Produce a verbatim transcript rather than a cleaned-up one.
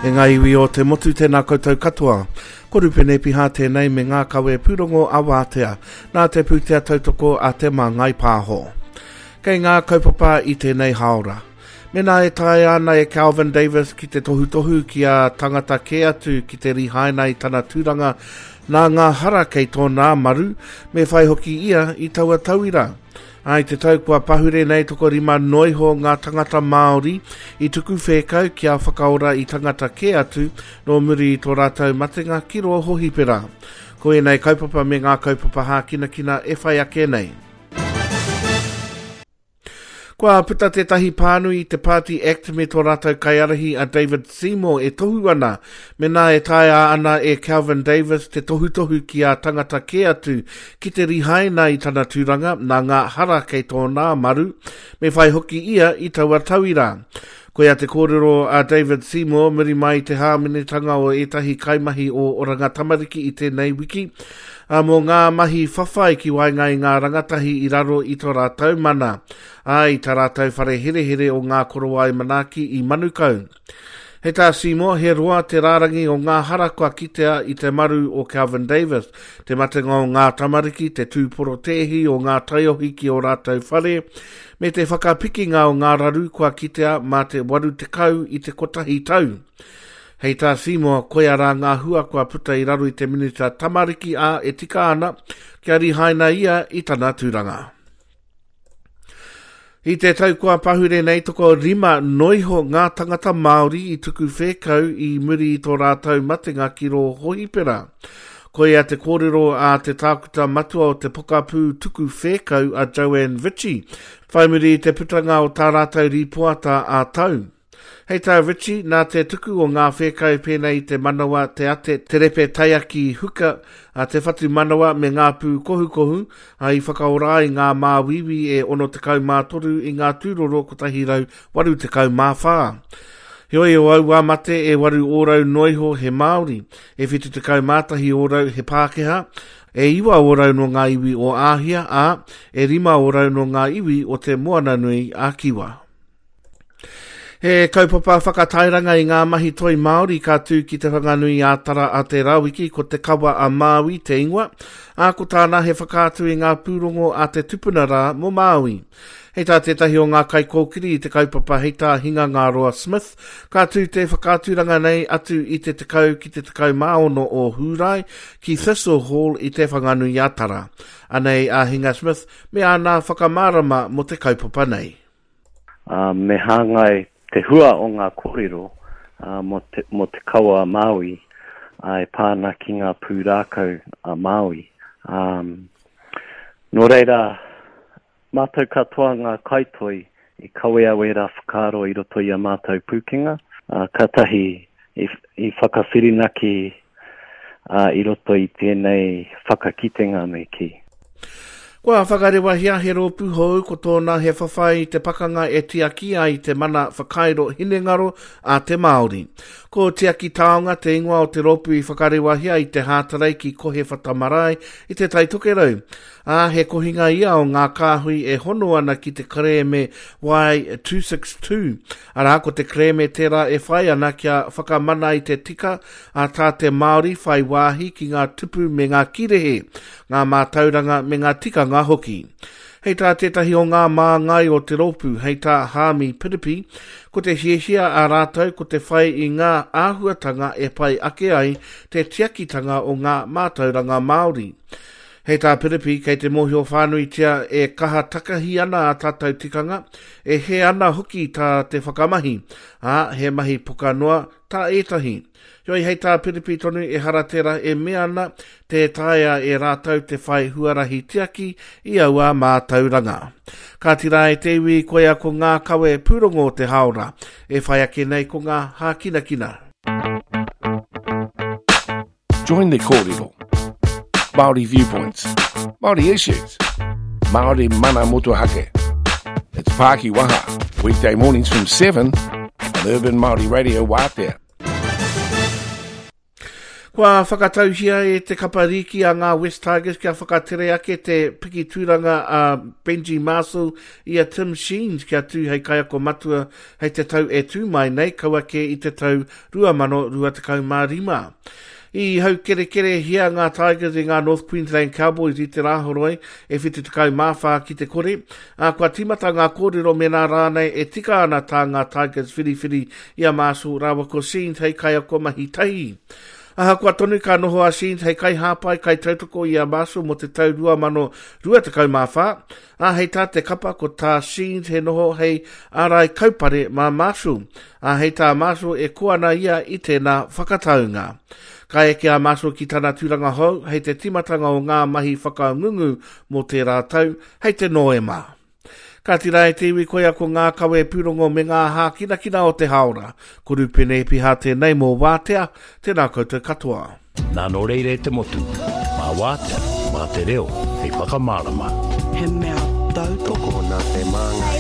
E ngā iwi o te motu tēnā koutou katoa. Ko Rupene Piha tēnei me ngā kawe pūrongo a Wātea, nā te pūtea tautoko a Te Māngai Pāho. Kei ngā kaupapa i tēnei haora. Mena e taea ana e Calvin Davis ki te tohutohu ki a tangata kē atu ki te rihaina i tana tūranga nā ngā hara kei tōnā maru, me whai hoki ia i taua tauira. Ai te tau kua pahure nei tokorima noiho ngā tangata Māori i tuku whēkau kia whakaora i tangata kē atu nō muri i tō rātou matenga ki rō hohipera. Ko ēnei kaupapa me ngā kaupapa hākinakina e whai ake nei. Kua puta tētahi pānui i te Party Act me tō rātou kaiarahi a David Seymour e tohu ana, mena e taea ana e Calvin Davis te tohutohu ki a tangata kē atu ki te rihaina i tana tūranga nā ngā hara kei tōnā maru, me whai hoki ia i taua tauira. Koia te kōrero a David Seymour muri mai i te hāmenetanga o ētahi kaimahi o Oranga Tamariki i tēnei wiki, a mō ngā mahi whawhai ki waenga i ngā rangatahi i raro i tō rātou mana, a i tā rātou whare herehere o ngā korowai manaaki i Manukau. Hei tā Seymour, he roa te rārangi o ngā hara kua kitea i te maru o Calvin Davis, te matenga o ngā tamariki, te tūporotēhi o ngā taiohi ki o rātou whare, me te whakapikinga o ngā raru kua kitea mā te waru tekau i te kotahi tau. Hei tā Seymour, koia rā ngā hua kua puta i raro i te minita tamariki a e tika ana, kia rihaina ia i tana tūranga. I te tau kua pahure nei toko rima noiho ngā tangata Māori i tuku whēkau i muri i tō rātou matenga ki rō hohipera. Koia te kōrero a te tākuta matua o te pokapū tuku whēkau a Joanne Ritchie, whai muri i te putanga o tā rātou rīpoata a tau. Hei tā Ritchie, nā te tuku o ngā whēkau pēnei i te manawa, te ate, te repe taiaki huka, a te whatu manawa me ngā pū kohukohu, a i whakaora ai ngā māwiwi e ono tekau mā toru i ngā tūroro kotahi rau waru tekau mā whā. Heoi o aua mate e waru ōrau noiho he Māori, e whitu tekau mā tahi ōrau he Pākehā, e iwa ōrau no ngā iwi o Āhia, ā, e rima ōrau no ngā iwi o te Moananui a Kiwa. He kaupapa whakatairanga i ngā mahi toi Māori ka tū ki te Whanganui a Tara a Te Rawiki ko te Kawa a Māui te ingoa, ā ko tāna he whakaatu i ngā pūrongo a te tupuna rā mō Māui. Hei tā tētahi o ngā kaikōkiri i te kaupapa hei tā Hinga Ngāroa Smith, ka tū te whakaaturanga nei atu i te tekau ki te tekau mā ono o Hūrae ki Thistle Hall i te Whanganui a Tara. Anei a Hinga Smith me āna whakamārama mō te kaupapa nei. Uh, me hāngai te hua o ngā kōrero uh, mō te, mō te kawa a Māui uh, e pā ana ki ngā pūrākau a Māui. Um, nō reira, mātou katoa ngā kaitoi i kawea wērā whakaaro i roto i a mātou pūkenga, uh, kātahi i, i whakawhirinaki uh, i roto i tēnei whakakitenga me kī. Kua whakarewahia he rōpū hou ko tōna he whawhai i te pakanga e tiaki ai te mana whakairo hinengaro a te Māori. Ko Tiaki Taonga te ingoa o te rōpū i whakarewahia i te Hātarei ki Kohe Whatamarae i te Tai Tokerau. Ā, he kohinga ia o ngā kāhui e hono ana ki te kerēme Y two six two. Arā, ko te kerēme tērā e whai ana kia whakamana i te tika a tā te Māori whai wāhi ki ngā tupu me ngā kirehe, ngā mātauranga me ngā tikanga hoki. Hei tā tētahi o ngā māngai o te rōpū, hei tā Hāmi Piripi, ko te hiahia a rātou ko te whai i ngā āhuatanga e pai ake ai te tiakitanga o ngā mātauranga Māori. Hei tā Piripi, kei te mōhio whānuitia e kaha takahi ana a tātou tikanga, e he ana hoki tā te whakamahi, ā, he mahi poka noa tā ētahi. Heoi hei tā Piripi tonu e hara tērā e mea ana te taea e rātou te whai huarahi tiaki i aua mātauranga. Ka tira e te iwi koia ko ngā kawe pūrongo o te haora, e whai ake nei ko ngā hākinakina. Join the kōrero. Māori viewpoints, Māori issues, Māori mana motuhake. It's Pāki Waha, weekday mornings from seven on Urban Māori Radio Wātea. Kua Kua whakatauhia e te kapa rīki a ngā West Tigers kia whakatere ake te piki tūranga a Benji Marshall i a Tim Sheens kia tū hei kaiako matua hei te tau e tū mai nei, kaua kē i te tau rua mano rua tekau mā rima. I haukerekerehia ngā Tigers i ngā North Queensland Cowboys i te Rāhoroi e whitu tekau mā whā ki te kore, ā, kua tīmata ngā kōrero mēnā rānei e tika ana tā ngā Tigers whiriwhiri i a Marshall rāua ko Sheens hei kaiako mahi tahi. Ahakoa tonu ka noho a Sheens hei kaihāpai, kaitautoko i a Marshall mō te tau rua mano rua tekau mā whā, ā, hei tā te kapa ko tā Sheens he noho hei ārai kaupare mā Marshall, ā, hei tā Marshall e koa ana ia i tēnā whakataunga. Ka eke a Marshall ki tana tūranga hou hei te tīmatanga o ngā mahi whakangungu mō tērā tau hei te Noema. Ka tira e te iwi koia ko ngā kawe pūrongo me ngā hākinakina o te hāora. Ko Rupene Epiha tēnei mō Wātea, tēnā koutou katoa. Nā nō reira e te motu, mā Wātea, mā te reo, hei whakamārama. He mea tautoko. Tokona te māngai.